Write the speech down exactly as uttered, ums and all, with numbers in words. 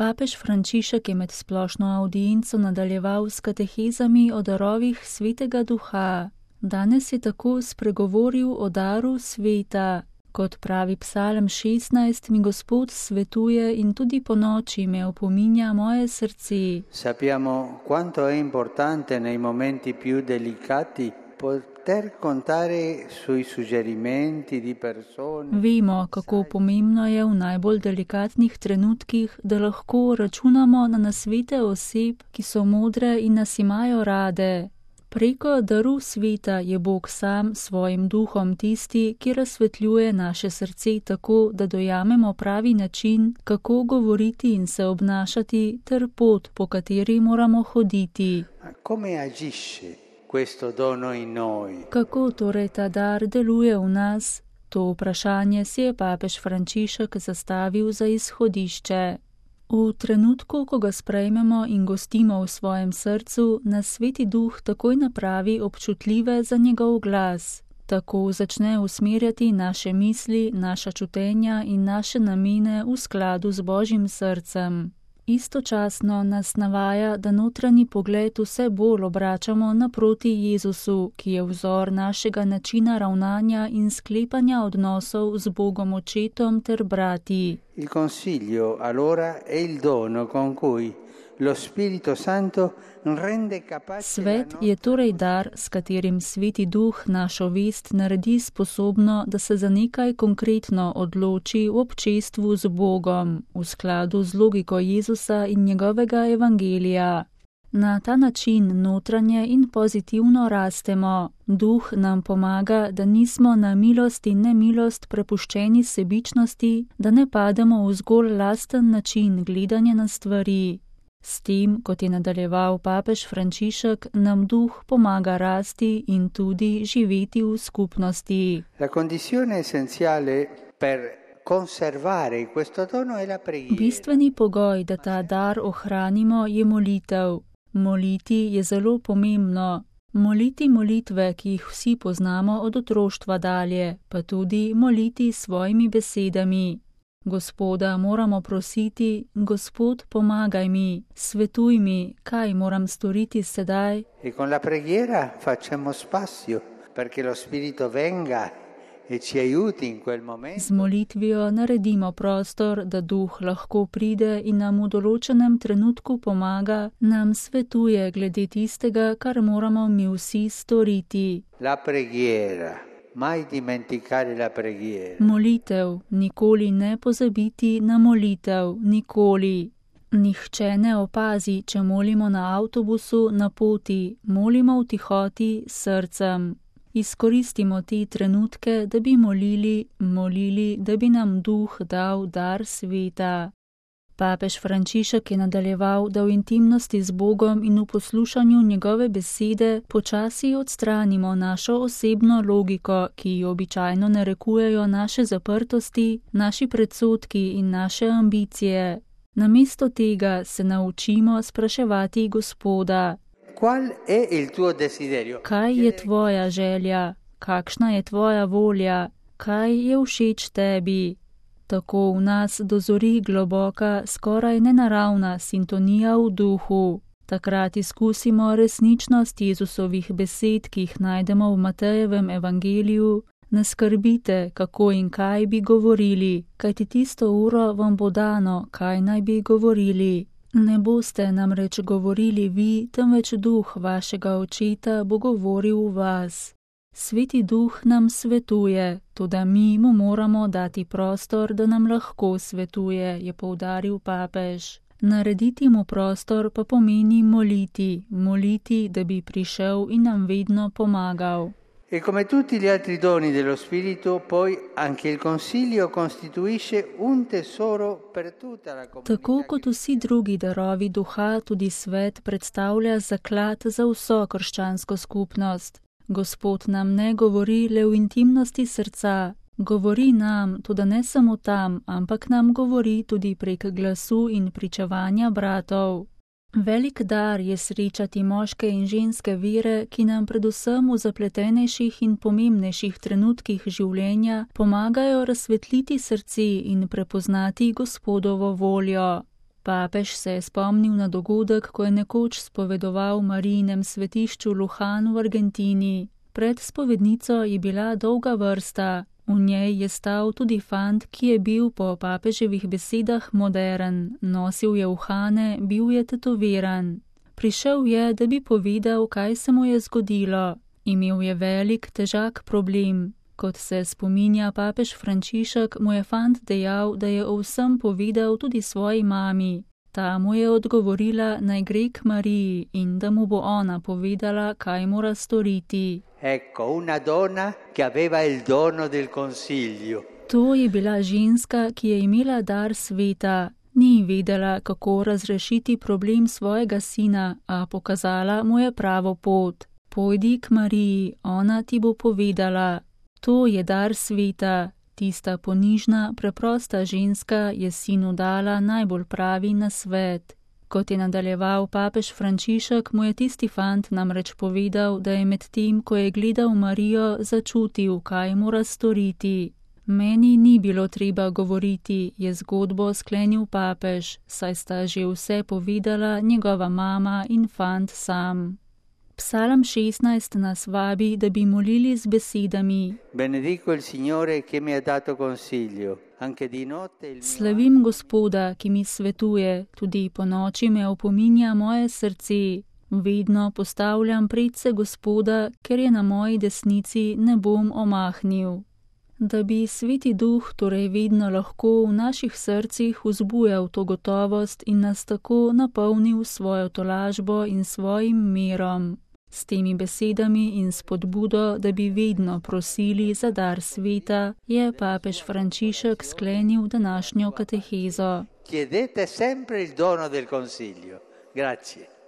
Papež Frančišek je med splošno avdienco nadaljeval s katehezami o darovih Svetega Duha. Danes je tako spregovoril o daru sveta. Kot pravi Psalm šestnajst, mi Gospod svetuje in tudi ponoči me opominja moje srce. Sappiamo quanto è importante nei momenti più delicati poter contare sui suggerimenti di persone. Vemo, kako pomembno je v najbolj delikatnih trenutkih, da lahko računamo na nasvete oseb, ki so modre in nas imajo rade. Preko daru sveta je Bog sam svojim duhom tisti, ki razsvetljuje naše srce tako, da dojamemo pravi način, kako govoriti in se obnašati, ter pot, po kateri moramo hoditi. Come agisce questo dono in noi? Kako torej ta dar deluje v nas? To vprašanje si je papež Frančišek zastavil za izhodišče. V trenutku, ko ga sprejmemo in gostimo v svojem srcu, nas Sveti Duh takoj napravi občutljive za njegov glas. Tako začne usmerjati naše misli, naša čutenja in naše namene v skladu z Božjim srcem. Istočasno nas navaja, da notranji pogled vse bolj obračamo naproti Jezusu, ki je vzor našega načina ravnanja in sklepanja odnosov z Bogom Očetom ter brati. Il consiglio allora è il dono con cui lo Spirito Santo rende capace. Svet je torej dar, s katerim Sveti Duh našo vest naredi sposobno, da se za nekaj konkretno odloči v občestvu z Bogom, v skladu z logiko Jezusa in njegovega evangelija. Na ta način notranje in pozitivno rastemo. Duh nam pomaga, da nismo na milost in nemilost prepuščeni sebičnosti, da ne pademo v zgolj lasten način gledanja na stvari. S tem, kot je nadaljeval papež Frančišek, nam duh pomaga rasti in tudi živeti v skupnosti. La condizione essenziale per conservare questo dono è la preghiera. Bistveni pogoj, da ta dar ohranimo, je molitev. Moliti je zelo pomembno. Moliti molitve, ki jih vsi poznamo od otroštva dalje, pa tudi moliti svojimi besedami. Gospoda moramo prositi, Gospod, pomagaj mi, svetuj mi, kaj moram storiti sedaj. E con la preghiera facciamo spazio perché lo Spirito venga e ci aiuti in quel momento. Z molitvijo naredimo prostor, da Duh lahko pride in nam v določenem trenutku pomaga, nam svetuje glede tistega, kar moramo mi vsi storiti. La preghiera. Mai dimenticare la preghiera. Molitev, nikoli ne pozabiti na molitev, nikoli. Nihče ne opazi, če molimo na avtobusu, na poti, molimo v tihoti s srcem. Izkoristimo te trenutke, da bi molili, molili, da bi nam Duh dal dar sveta. Papež Frančišek je nadaljeval, da v intimnosti z Bogom in v poslušanju njegove besede počasi odstranimo našo osebno logiko, ki jo običajno narekujejo naše zaprtosti, naši predsodki in naše ambicije. Namesto tega se naučimo spraševati Gospoda. Qual è il tuo desiderio? Kaj je tvoja želja? Kakšna je tvoja volja? Kaj je všeč tebi? Tako v nas dozori globoka, skoraj nenaravna sintonija v duhu. Takrat izkusimo resničnost Jezusovih besed, ki jih najdemo v Matejevem evangeliju. Ne skrbite, kako in kaj bi govorili, kajti tisto uro vam bo dano, kaj naj bi govorili. Ne boste namreč govorili vi, temveč Duh vašega Očeta bo govoril v vas. Sveti Duh nam svetuje, toda mi mu moramo dati prostor, da nam lahko svetuje, je poudaril papež. Narediti mu prostor pa pomeni moliti, moliti, da bi prišel in nam vedno pomagal. E come tutti gli altri doni dello Spirito, poi anche il Consiglio costituisce un tesoro per tutta la comunità. Tako kot vsi drugi darovi duha, tudi svet predstavlja zaklad za vso krščansko skupnost. Gospod nam ne govori le v intimnosti srca, govori nam, tudi ne samo tam, ampak nam govori tudi prek glasu in pričevanja bratov. Velik dar je srečati moške in ženske vere, ki nam predvsem v zapletenejših in pomembnejših trenutkih življenja pomagajo razsvetliti srce in prepoznati Gospodovo voljo. Papež se je spomnil na dogodek, ko je nekoč spovedoval Marijinem svetišču Lujan v Argentini. Pred spovednico je bila dolga vrsta. V njej je stal tudi fant, ki je bil po papeževih besedah modern, nosil je uhane, bil je tetoviran. Prišel je, da bi povedal, kaj se mu je zgodilo. Imel je velik, težak problem. Kot se spominja papež Frančišek, mu je fant dejal, da je o vsem povedal tudi svoji mami. Ta mu je odgovorila, naj gre k Mariji in da mu bo ona povedala, kaj mora storiti. Ecco, una donna che aveva il dono del consiglio. To je bila ženska, ki je imela dar sveta. Ni vedela, kako razrešiti problem svojega sina, a pokazala mu je pravo pot. Pojdi k Mariji, ona ti bo povedala. To je dar sveta. Tista ponižna, preprosta ženska je sinu dala najbolj pravi nasvet. Kot je nadaljeval papež Frančišek, mu je tisti fant namreč povedal, da je med tem, ko je gledal Marijo, začutil, kaj mora storiti. Meni ni bilo treba govoriti, je zgodbo sklenil papež, saj sta že vse povedala njegova mama in fant sam. Psalm šestnajst nas vabi, da bi molili z besedami. Benedico il Signore che mi ha dato consiglio. Anche di notte il mio... Slavim Gospoda, ki mi svetuje, tudi po noči me opominja moje srce. Vedno postavljam predse Gospoda, ker je na moji desnici, ne bom omahnil. Da bi Sveti Duh torej vedno lahko v naših srcih vzbujal to gotovost in nas tako napolnil svojo tolažbo in svojim mirom. S temi besedami in spodbudo, da bi vedno prosili za dar sveta, je papež Frančišek sklenil današnjo katehezo. Chiedete sempre il dono del consiglio. Grazie.